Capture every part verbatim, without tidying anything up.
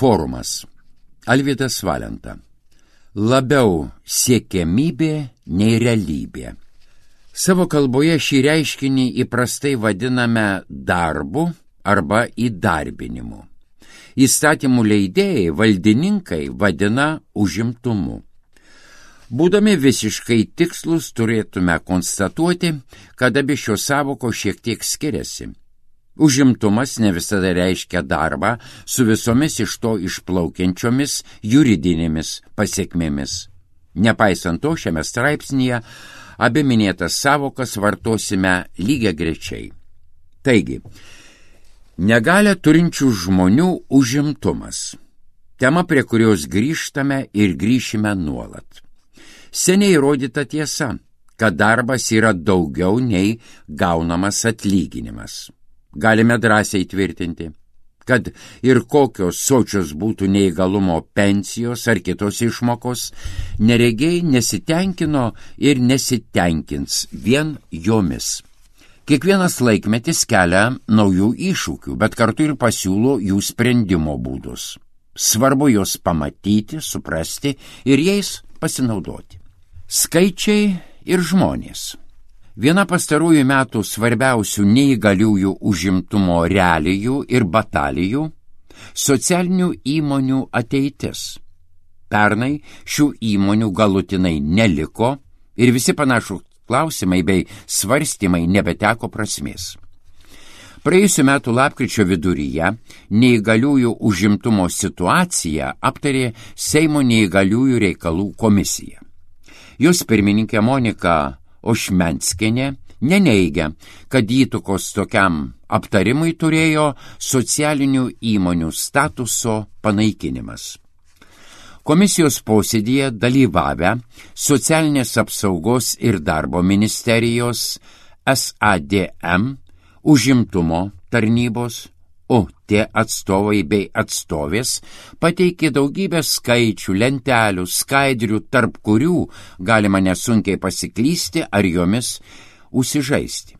Forumas. Alvydas Valenta. Labiau siekiamybė nei realybė. Savo kalboje šį reiškinį įprastai vadiname darbu arba įdarbinimu. Įstatymų leidėjai, valdininkai vadina užimtumu. Būdami visiškai tikslus, turėtume konstatuoti, kad abi šios sąvokos šiek tiek skiriasi. Užimtumas ne visada reiškia darbą su visomis iš to išplaukiančiomis juridinėmis pasiekmėmis. Nepaisant to, šiame straipsnyje abi minėtas sąvokas vartosime lygiagrečiai. Taigi, negalią turinčių žmonių užimtumas. Tema, prie kurios grįžtame ir grįšime nuolat. Seniai įrodyta tiesa, kad darbas yra daugiau nei gaunamas atlyginimas. Galime drąsiai tvirtinti, kad ir kokios sočios būtų neįgalumo pensijos ar kitos išmokos, neregiai nesitenkino ir nesitenkins vien jomis. Kiekvienas laikmetis kelia naujų iššūkių, bet kartu ir pasiūlo jų sprendimo būdus. Svarbu juos pamatyti, suprasti ir jais pasinaudoti. Skaičiai ir žmonės. Viena pastarųjų metų svarbiausių neįgaliųjų užimtumo realijų ir batalijų – socialinių įmonių ateitis. Pernai šių įmonių galutinai neliko ir visi panašūs klausimai bei svarstymai nebeteko prasmės. Praėjusių metų lapkričio viduryje neįgaliųjų užimtumo situaciją aptarė Seimo neįgaliųjų reikalų komisija. Jos pirmininkė Monika Ošmenskienė neneigia, kad įtakos tokiam aptarimui turėjo socialinių įmonių statuso panaikinimas. Komisijos posėdyje dalyvavę Socialinės apsaugos ir darbo ministerijos, S A D M, užimtumo tarnybos, O T atstovai bei atstovės pateikė daugybę skaičių, lentelių, skaidrių, tarp kurių galima nesunkiai pasiklysti ar jomis užsižaisti.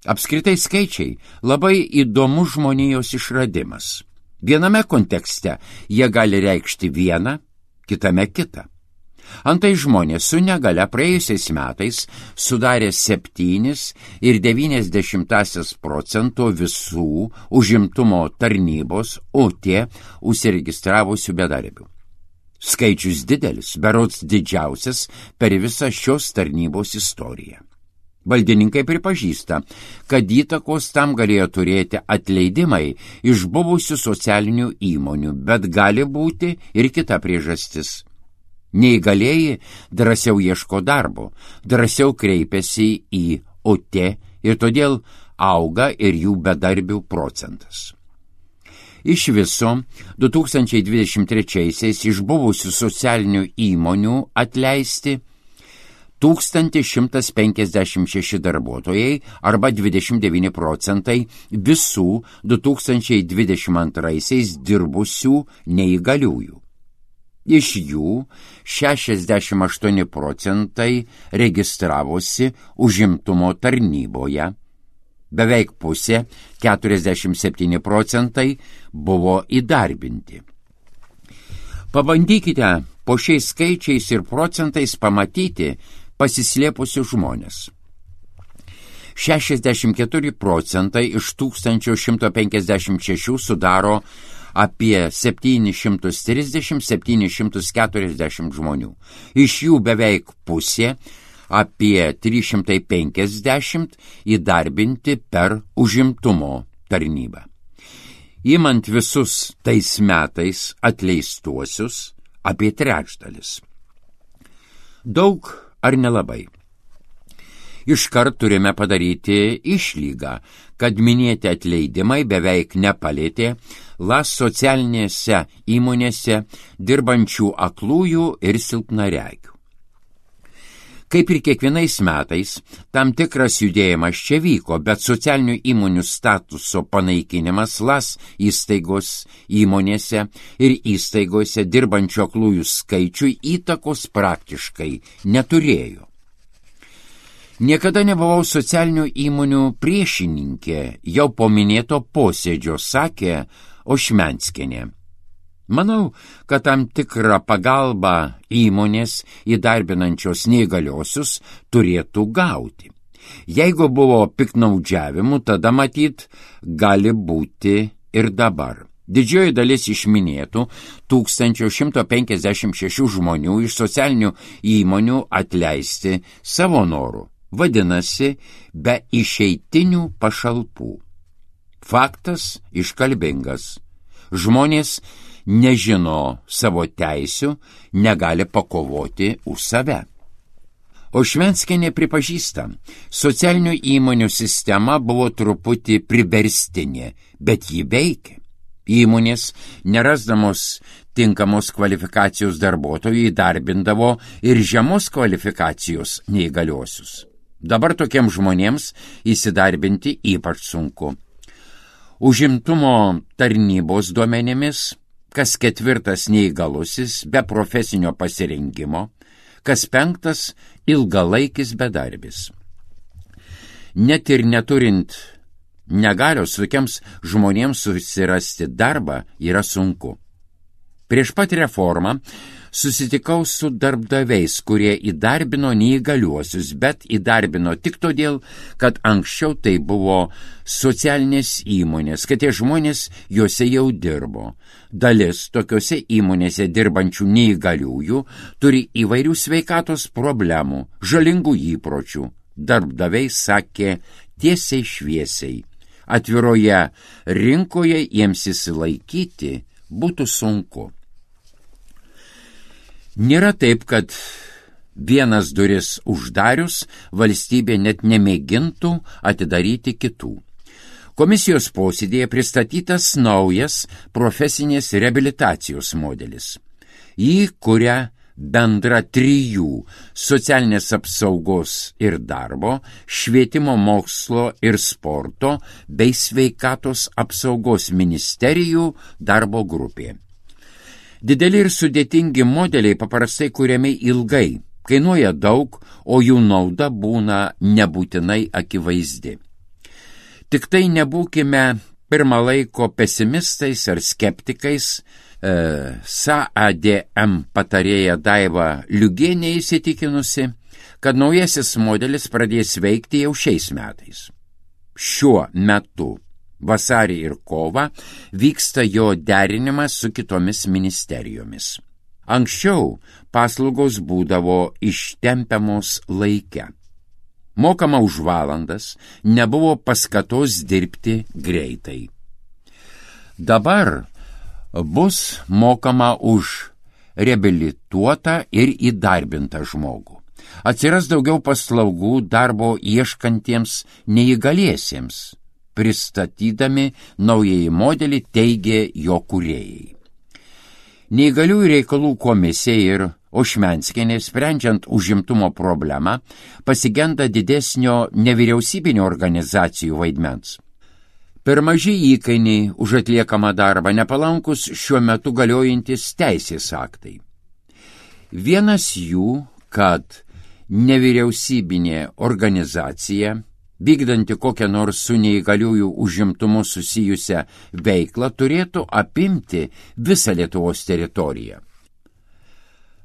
Apskritai skaičiai labai įdomus žmonijos išradimas. Viename kontekste jie gali reikšti vieną, kitame kitą. Antai žmonės su negalia praėjusiais metais sudarė septynis ir devynias dešimtąsias procento visų užimtumo tarnybos O T užsiregistravusių bedarbių. Skaičius didelis, berods didžiausias per visą šios tarnybos istoriją. Valdininkai pripažįsta, kad įtakos tam galėjo turėti atleidimai iš buvusių socialinių įmonių, bet gali būti ir kita priežastis. Neįgalieji drąsiau ieško darbo, drąsiau kreipiasi į O T ir todėl auga ir jų bedarbių procentas. Iš viso du tūkstančiai dvidešimt trečiaisiais iš buvusių socialinių įmonių atleisti tūkstantis šimtas penkiasdešimt šeši darbuotojai arba dvidešimt devyni procentai visų du tūkstančiai dvidešimt antraisiais dirbusių neįgaliųjų. Iš jų šešiasdešimt aštuoni procentai registravosi užimtumo tarnyboje, beveik pusė, keturiasdešimt septyni procentai, buvo įdarbinti. Pabandykite po šiais skaičiais ir procentais pamatyti pasislėpusius žmonės. šešiasdešimt keturi procentai iš tūkstančio šimto penkiasdešimt šešių sudaro apie septynis šimtus trisdešimt - septynis šimtus keturiasdešimt žmonių. Iš jų beveik pusė, apie trys šimtai penkiasdešimt, įdarbinti per užimtumo tarnybą. Imant visus tais metais atleistuosius, apie trečdalis. Daug ar nelabai? Iškart turime padaryti išlygą, kad minėti atleidimai beveik nepalėtė las socialinėse įmonėse dirbančių aklųjų ir silpnaregių. Kaip ir kiekvienais metais, tam tikras judėjimas čia vyko, bet socialinių įmonių statuso panaikinimas las įstaigos įmonėse ir įstaigose dirbančių aklųjų skaičiui įtakos praktiškai neturėjo. Niekada nebuvau socialinių įmonių priešininkė, jau po minėto posėdžio sakė Ošmenskienė. Manau, kad tam tikrą pagalbą įmonės įdarbinančios neįgaliosius turėtų gauti. Jeigu buvo piknaudžiavimų, tada matyt gali būti ir dabar. Didžioji dalis iš minėtų tūkstančio šimto penkiasdešimt šešių žmonių iš socialinių įmonių atleisti savo norų. Vadinasi, be išeitinių pašalpų. Faktas iškalbingas. Žmonės nežino savo teisių, negali pakovoti už save. O Švenskienė pripažįsta, socialinių įmonių sistema buvo truputį priverstinė, bet ji veikia. Įmonės, nerasdamos tinkamos kvalifikacijos darbuotojų, įdarbindavo ir žemos kvalifikacijos neįgaliosius. Dabar tokiems žmonėms įsidarbinti ypač sunku. Užimtumo tarnybos duomenimis, kas ketvirtas neįgalusis be profesinio pasirengimo, kas penktas ilgalaikis bedarbis. Net ir neturint negalios, tokiems žmonėms susirasti darbą yra sunku. Prieš pat reformą susitikau su darbdaviais, kurie įdarbino neįgaliuosius, bet įdarbino tik todėl, kad anksčiau tai buvo socialinės įmonės, kad tie žmonės juose jau dirbo. Dalis tokiuose įmonėse dirbančių neįgaliųjų turi įvairių sveikatos problemų, žalingų įpročių. Darbdaviai sakė tiesiai šviesiai. Atviroje rinkoje jiems įsilaikyti būtų sunku. Nėra taip, kad vienas duris uždarius valstybė net nemėgintų atidaryti kitų. Komisijos posėdėje pristatytas naujas profesinės reabilitacijos modelis. Jį kuria bendra trijų socialinės apsaugos ir darbo, švietimo, mokslo ir sporto bei sveikatos apsaugos ministerijų darbo grupė. Dideli ir sudėtingi modeliai paprastai kuriami ilgai, kainuoja daug, o jų nauda būna nebūtinai akivaizdi. Tik tai nebūkime pirmą laiko pesimistais ar skeptikais. E, S A D M patarėja Daiva Liugienė įsitikinusi, kad naujasis modelis pradės veikti jau šiais metais. Šiuo metu vasarį ir kovą vyksta jo derinimas su kitomis ministerijomis. Anksčiau paslaugos būdavo ištempiamos laike. Mokama už valandas, nebuvo paskatos dirbti greitai. Dabar bus mokama už reabilituotą ir įdarbintą žmogų. Atsiras daugiau paslaugų darbo ieškantiems neįgaliesiems. Pristatydami naująjį modelį teigė jo kūrėjai. Neįgaliųjų reikalų komisija ir Ošmenskienė, sprendžiant užimtumo problemą, pasigenda didesnio nevyriausybinio organizacijų vaidmens. Per maži įkainiai už atliekamą darbą, nepalankus šiuo metu galiojantis teisės aktai. Vienas jų, kad nevyriausybinė organizacija, vykdanti kokią nors su neįgaliųjų užimtumu susijusią veiklą, turėtų apimti visą Lietuvos teritoriją.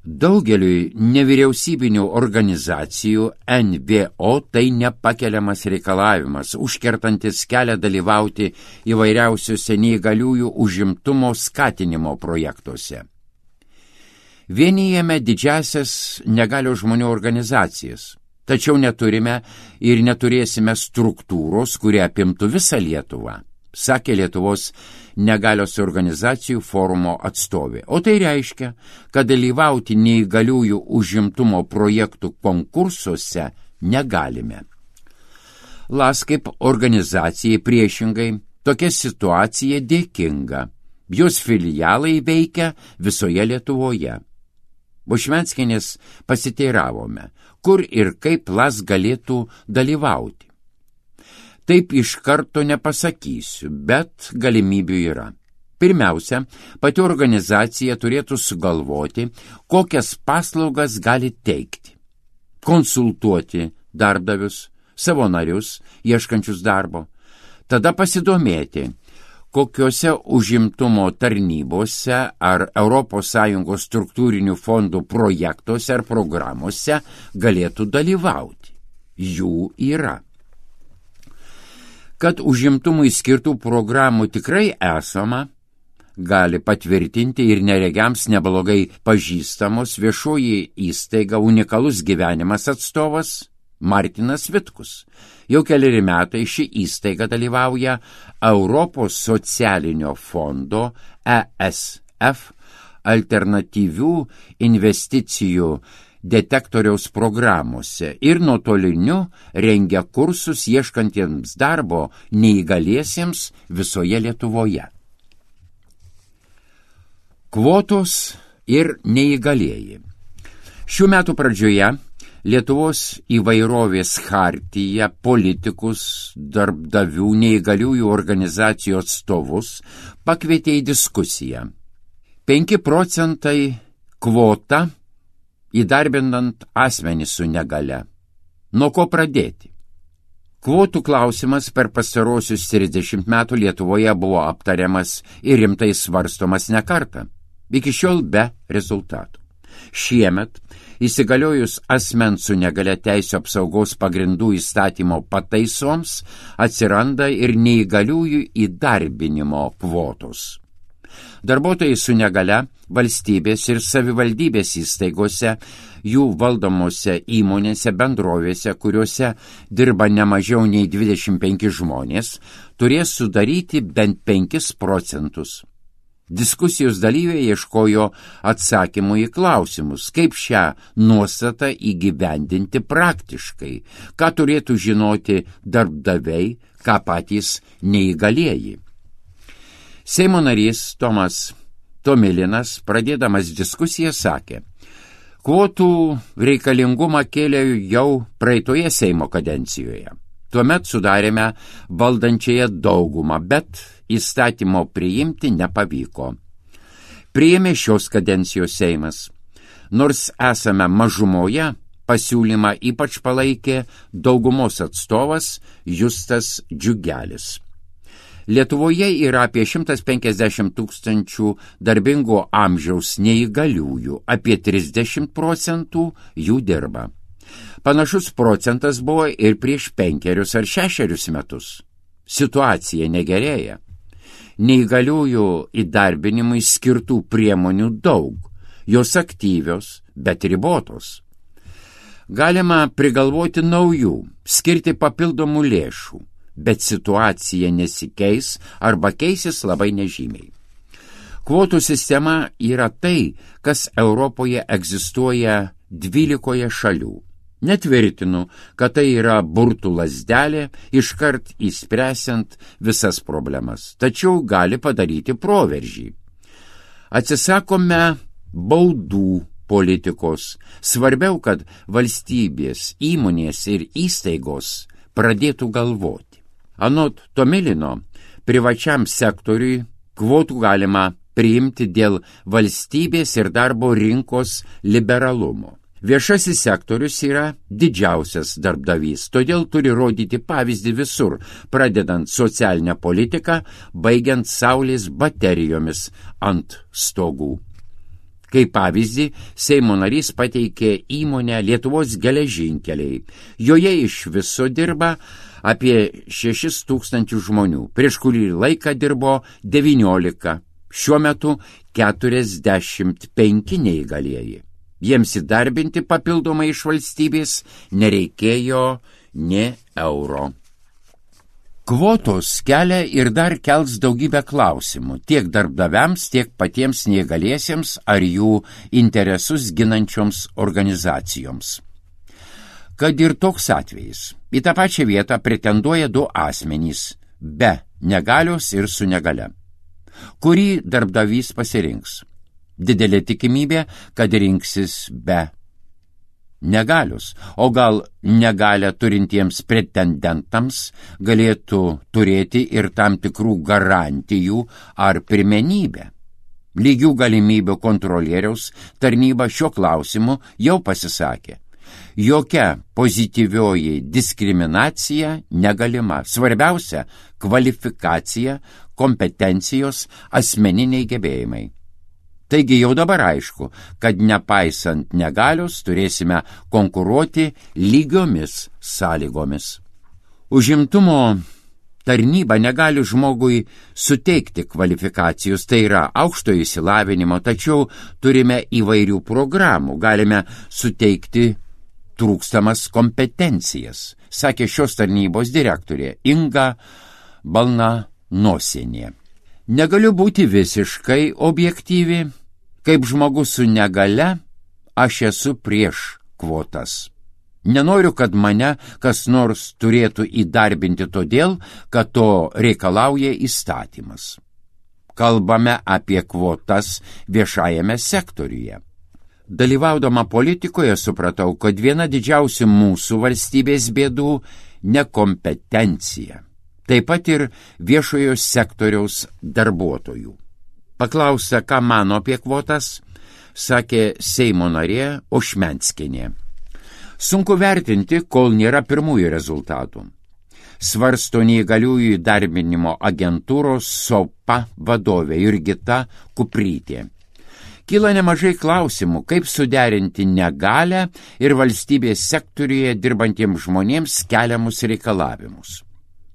Daugeliui nevyriausybinių organizacijų N V O tai nepakeliamas reikalavimas, užkertantis kelią dalyvauti įvairiausiuose neįgaliųjų užimtumo skatinimo projektuose. Vienijame didžiasias negalios žmonių organizacijas, tačiau neturime ir neturėsime struktūros, kurie apimtų visą Lietuvą, sakė Lietuvos negalios organizacijų forumo atstovė. O tai reiškia, kad dalyvauti neįgaliųjų užimtumo projektų konkursuose negalime. L A S kaip organizacijai priešingai tokia situacija dėkinga. Jos filialai veikia visoje Lietuvoje. Ošmenskienės pasiteiravome, kur ir kaip L A S galėtų dalyvauti. Taip iš karto nepasakysiu, bet galimybių yra. Pirmiausia, pati organizacija turėtų sugalvoti, kokias paslaugas gali teikti. Konsultuoti darbdavius, savo narius, ieškančius darbo. Tada pasidomėti, kokiuose užimtumo tarnybose ar Europos Sąjungos struktūrinių fondų projektuose ar programuose galėtų dalyvauti. Jų yra. Kad užimtumui skirtų programų tikrai esama, gali patvirtinti ir neregiams neblogai pažįstamos viešoji įstaiga Unikalus gyvenimas atstovas Martinas Vitkus. Jau keleri metai ši įstaiga dalyvauja Europos socialinio fondo E S F alternatyvių investicijų detektoriaus programuose ir nuotoliniu rengia kursus ieškantiems darbo neįgaliesiems visoje Lietuvoje. Kvotos ir neįgalieji. Šių metų pradžioje Lietuvos įvairovės chartija politikus, darbdavių, neįgaliųjų organizacijų atstovus pakvietė į diskusiją. penki procentai kvota įdarbinant asmenį su negale. Nuo ko pradėti? Kvotų klausimas per pastarosius trisdešimt metų Lietuvoje buvo aptariamas ir rimtai svarstomas ne kartą, iki šiol be rezultatų. Šiemet, įsigaliojus asmens su negale teisių apsaugos pagrindų įstatymo pataisoms, atsiranda ir neįgaliųjų įdarbinimo kvotos. Darbuotojai su negale valstybės ir savivaldybės įstaigose, jų valdomose įmonėse, bendrovėse, kuriuose dirba ne mažiau nei dvidešimt penki žmonės, turės sudaryti bent penkis procentus. Diskusijos dalyviai ieškojo atsakymų į klausimus, kaip šią nuostatą įgyvendinti praktiškai, ką turėtų žinoti darbdaviai, ką patys neįgalieji. Seimo narys Tomas Tomilinas, pradėdamas diskusiją, sakė, kvotų reikalingumą kėlė jau praeitoje Seimo kadencijoje. Tuomet sudarėme valdančiąją daugumą, bet įstatymo priimti nepavyko. Priėmė šios kadencijos Seimas. Nors esame mažumoje, pasiūlymą ypač palaikė daugumos atstovas Justas Džiugelis. Lietuvoje yra apie šimtas penkiasdešimt tūkstančių darbingo amžiaus neįgaliųjų, apie trisdešimt procentų jų dirba. Panašus procentas buvo ir prieš penkerius ar šešerius metus. Situacija negerėja. Neįgaliųjų įdarbinimui skirtų priemonių daug, jos aktyvios, bet ribotos. Galima prigalvoti naujų, skirti papildomų lėšų, bet situacija nesikeis arba keisis labai nežymiai. Kvotų sistema yra tai, kas Europoje egzistuoja dvylikoje šalių. Netvirtinu, kad tai yra burtų lazdelė, iškart įspręsiant visas problemas, tačiau gali padaryti proveržį. Atsisakome baudų politikos. Svarbiau, kad valstybės, įmonės ir įstaigos pradėtų galvoti. Anot Tomilino, privačiam sektoriui kvotų galima priimti dėl valstybės ir darbo rinkos liberalumo. Viešasis sektorius yra didžiausias darbdavys, todėl turi rodyti pavyzdį visur, pradedant socialinę politiką, baigiant saulės baterijomis ant stogų. Kaip pavyzdį, Seimo narys pateikė įmonę Lietuvos geležinkeliai. Joje iš viso dirba apie šešis tūkstančius žmonių, prieš kurį laiką dirbo devyniolika, šiuo metu keturiasdešimt penki neįgalieji. Jiems įdarbinti papildomai iš valstybės nereikėjo nė euro. Kvotos kelia ir dar kels daugybę klausimų tiek darbdaviams, tiek patiems neįgaliesiems ar jų interesus ginančioms organizacijoms. Kad ir toks atvejis, į tą pačią vietą pretenduoja du asmenys, be negalios ir su negale. Kurį darbdavys pasirinks? Didelė tikimybė, kad rinksis be negalios, o gal negalę turintiems pretendentams galėtų turėti ir tam tikrų garantijų ar pirmenybę. Lygių galimybių kontrolieriaus tarnyba šiuo klausimu jau pasisakė. Jokia pozityvioji diskriminacija negalima. Svarbiausia – kvalifikacija, kompetencijos, asmeniniai gebėjimai. Taigi jau dabar aišku, kad nepaisant negalios turėsime konkuruoti lygiomis sąlygomis. Užimtumo tarnyba negali žmogui suteikti kvalifikacijos, tai yra aukštojo išsilavinimo, tačiau turime įvairių programų, galime suteikti trūkstamas kompetencijas, sakė šios tarnybos direktorė Inga Balnanosienė. Negaliu būti visiškai objektyvi, kaip žmogus su negale, aš esu prieš kvotas. Nenoriu, kad mane kas nors turėtų įdarbinti todėl, kad to reikalauja įstatymas. Kalbame apie kvotas viešajame sektoriuje. Dalyvaudama politikoje supratau, kad viena didžiausių mūsų valstybės bėdų – nekompetencija. Taip pat ir viešojo sektoriaus darbuotojų. Paklausta, ką mano apie kvotas, sakė Seimo narė Ošmenskienė. Sunku vertinti, kol nėra pirmųjų rezultatų. Svarsto neįgaliųjų įdarbinimo agentūros SOPA vadovė Jurgita Kuprytė. Kyla nemažai klausimų, kaip suderinti negalią ir valstybės sektoriuje dirbantiems žmonėms keliamus reikalavimus.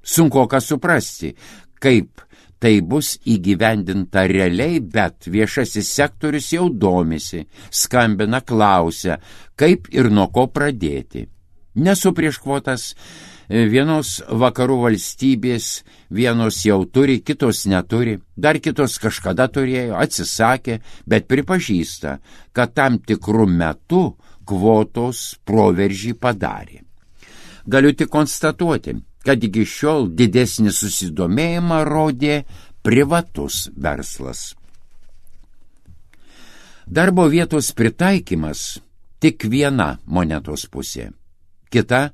Sunkoka suprasti, kaip tai bus įgyvendinta realiai, bet viešasis sektorius jau domisi, skambina, klausia, kaip ir nuo ko pradėti. Nesu prieš kvotas, vienos vakarų valstybės, vienos jau turi, kitos neturi, dar kitos kažkada turėjo, atsisakė, bet pripažįsta, kad tam tikrų metų kvotos proveržį padarė. Galiu tik konstatuoti, kad iki šiol didesnį susidomėjimą rodė privatus verslas. Darbo vietos pritaikymas tik viena monetos pusė. Kita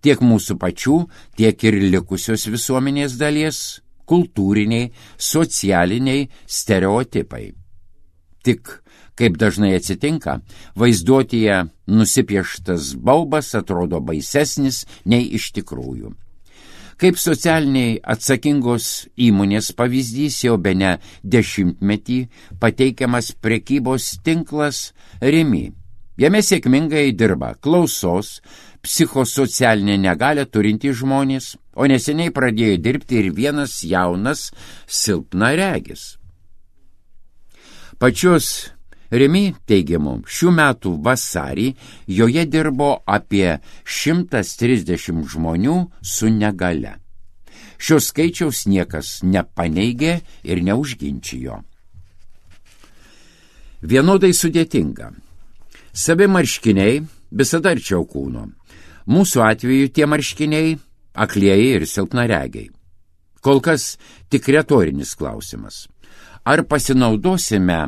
tiek mūsų pačių, tiek ir likusios visuomenės dalies kultūriniai, socialiniai stereotipai. Tik, kaip dažnai atsitinka, vaizduotėje nusipieštas baubas atrodo baisesnis nei iš tikrųjų. Kaip socialiniai atsakingos įmonės pavyzdys jau bene dešimtmetį pateikiamas prekybos tinklas Rimi. Jame sėkmingai dirba klausos, psichosocialinę negalią turintys žmonės, o neseniai pradėjo dirbti ir vienas jaunas silpnaregis. Pačios Rimi teigimu, šių metų vasarį joje dirbo apie šimtas trisdešimt žmonių su negale. Šios skaičiaus niekas nepaneigė ir neužginčijo. Vienodai sudėtinga. Savi marškiniai visada arčiau kūno. Mūsų atveju tie marškiniai aklieji ir silpnaregiai. Kol kas tik retorinis klausimas. Ar pasinaudosime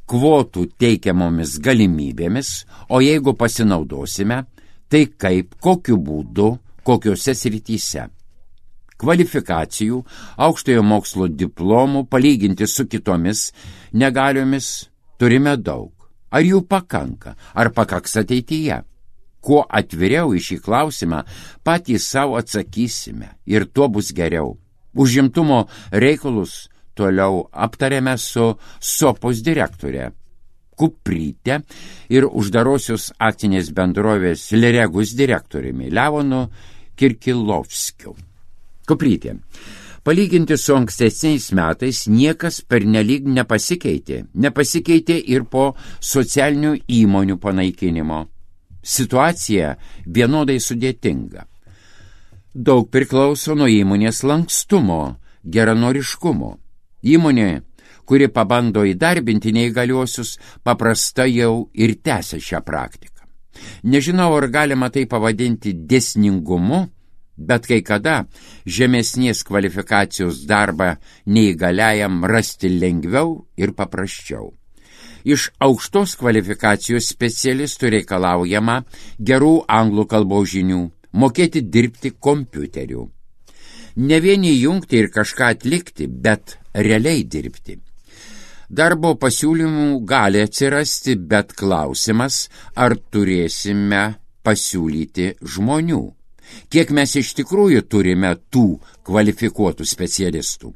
kvotų teikiamomis galimybėmis, o jeigu pasinaudosime, tai kaip, kokiu būdu, kokiuose srityse. Kvalifikacijų, aukštojo mokslo diplomų palyginti su kitomis negaliomis turime daug. Ar jų pakanka, ar pakaks ateityje? Kuo atviriau į šį klausimą patys savo atsakysime ir tuo bus geriau. Užimtumo reikalus toliau aptarėme su SOPOS direktorė Kuprytė ir uždarosios akcinės bendrovės Liregus direktoriumi Leonu Kirkilovskiu. Kuprytė. Palyginti su ankstesniais metais niekas pernelyg nepasikeitė. Nepasikeitė ir po socialinių įmonių panaikinimo. Situacija vienodai sudėtinga. Daug priklauso nuo įmonės lankstumo, geranoriškumo. Įmonė, kuri pabando įdarbinti neįgaliuosius, paprastai jau ir tęsia šią praktiką. Nežinau, ar galima tai pavadinti dėsningumu, bet kai kada žemesnės kvalifikacijos darbą neįgaliajam rasti lengviau ir paprasčiau. Iš aukštos kvalifikacijos specialistų reikalaujama gerų anglų kalbos žinių, mokėti dirbti kompiuteriu. Ne vieni jungti ir kažką atlikti, bet realiai dirbti. Darbo pasiūlymų gali atsirasti, bet klausimas, ar turėsime pasiūlyti žmonių. Kiek mes iš tikrųjų turime tų kvalifikuotų specialistų.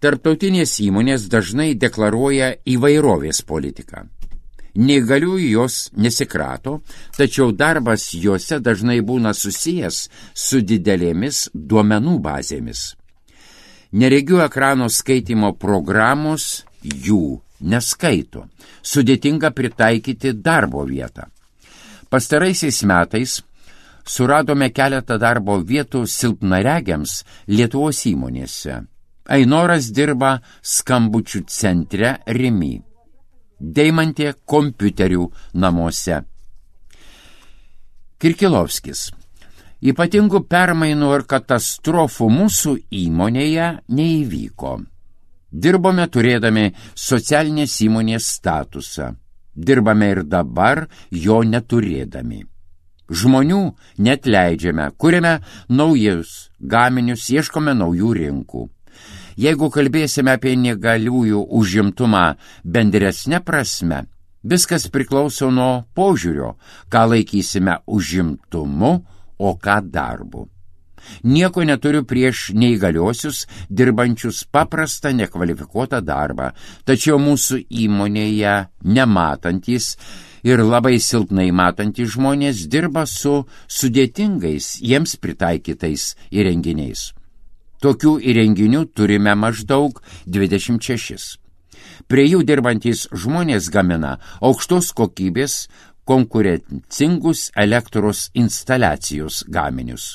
Tarptautinės įmonės dažnai deklaruoja įvairovės politiką. Neįgaliųjų jos nesikrato, tačiau darbas juose dažnai būna susijęs su didelėmis duomenų bazėmis. Neregių ekrano skaitimo programos jų neskaito. Sudėtinga pritaikyti darbo vietą. Pastaraisiais metais suradome keletą darbo vietų silpnaregiams Lietuvos įmonėse. Ainoras dirba skambučių centre Rimi. Deimantė kompiuterių namuose. Kirkilovskis. Ypatingų permainų ir katastrofų mūsų įmonėje neįvyko. Dirbome turėdami socialinės įmonės statusą. Dirbame ir dabar jo neturėdami. Žmonių neatleidžiame, kuriame naujus gaminius, ieškome naujų rinkų. Jeigu kalbėsime apie neįgaliųjų užimtumą bendresne prasme, viskas priklauso nuo požiūrio, ką laikysime užimtumu, o ką darbu. Nieko neturiu prieš neįgaliuosius, dirbančius paprastą nekvalifikuotą darbą, tačiau mūsų įmonėje nematantys ir labai silpnai matantys žmonės dirba su sudėtingais jiems pritaikytais įrenginiais. Tokių įrenginių turime maždaug dvidešimt šešis. Prie jų dirbantys žmonės gamina aukštos kokybės konkurencingus elektros instaliacijos gaminius.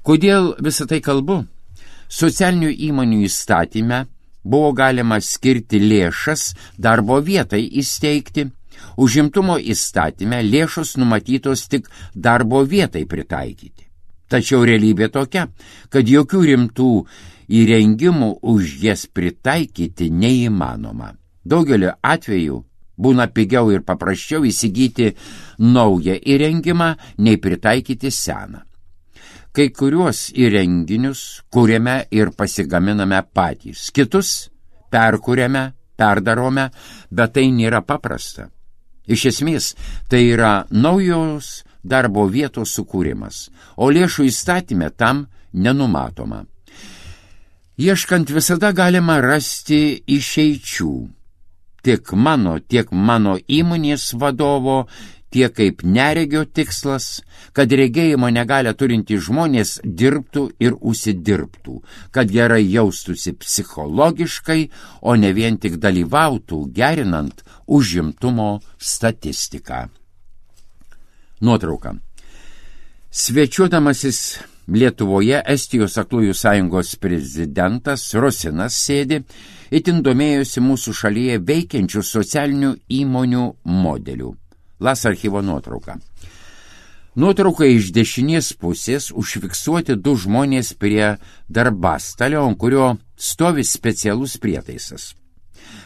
Kodėl visą tai kalbu? Socialinių įmonių įstatyme buvo galima skirti lėšas darbo vietai įsteigti. Užimtumo įstatyme lėšos numatytos tik darbo vietai pritaikyti. Tačiau realybė tokia, kad jokių rimtų įrengimų už jas pritaikyti neįmanoma. Daugeliu atveju būna pigiau ir paprasčiau įsigyti naują įrengimą, nei pritaikyti seną. Kai kuriuos įrenginius kūrėme ir pasigaminame patys, kitus perkūrėme, perdarome, bet tai nėra paprasta. Iš esmės, tai yra naujos darbo vietos sukūrimas, o lėšų įstatyme tam nenumatoma. Ieškant visada galima rasti išeičių. Tiek mano, tiek mano įmonės vadovo, tiek kaip neregio tikslas, kad regėjimo negalią turintys žmonės dirbtų ir užsidirbtų, kad gerai jaustųsi psichologiškai, o ne vien tik dalyvautų gerinant užimtumo statistiką. Nuotrauka. Svečiuodamasis Lietuvoje Estijos aklųjų sąjungos prezidentas Rosinas sėdi, itin domėjosi mūsų šalyje veikiančių socialinių įmonių modelių. Las archyvo nuotrauka. Nuotrauka iš dešinės pusės užfiksuoti du žmonės prie darbastalio, ant kurio stovi specialus prietaisas.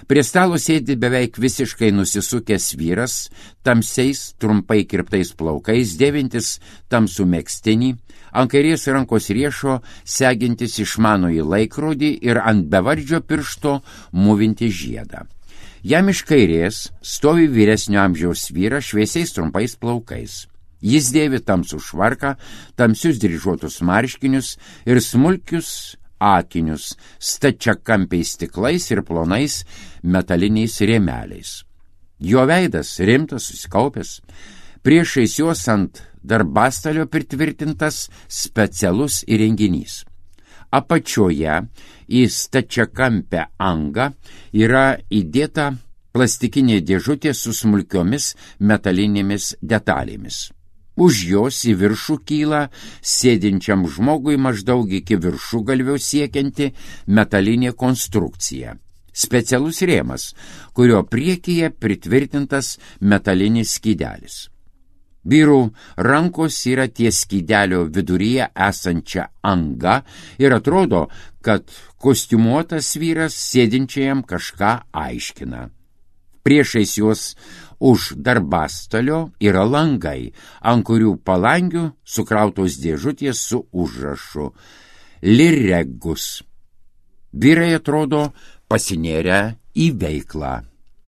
Prie stalo sėdi beveik visiškai nusisukęs vyras, tamsiais, trumpai kirptais plaukais, dėvintis tamsų megztinį, ant kairės rankos riešo segintis išmanųjį laikrodį ir ant bevardžio piršto mūvinti žiedą. Jam iš kairės stovi vyresnio amžiaus vyras šviesiais trumpais plaukais. Jis dėvi tamsų švarką, tamsius dryžuotus marškinius ir smulkius akinius stačiakampiais stiklais ir plonais metaliniais rėmeliais. Jo veidas rimtas, susikaupęs. Priešais juos ant darbastalio pritvirtintas specialus įrenginys. Apačioje į stačiakampę angą yra įdėta plastikinė dėžutė su smulkiomis metalinėmis detalėmis. Už jos į viršų kyla sėdinčiam žmogui maždaug iki viršugalvio siekianti metalinė konstrukcija. Specialus rėmas, kurio priekyje pritvirtintas metalinis skydelis. Vyrų rankos yra ties skydelio viduryje esančia anga ir atrodo, kad kostiumuotas vyras sėdinčiajam kažką aiškina. Priešais juos už darbastalio yra langai, ant kurių palangių sukrautos dėžutės su užrašu Liregus. Vyrai atrodo pasinėrę į veiklą.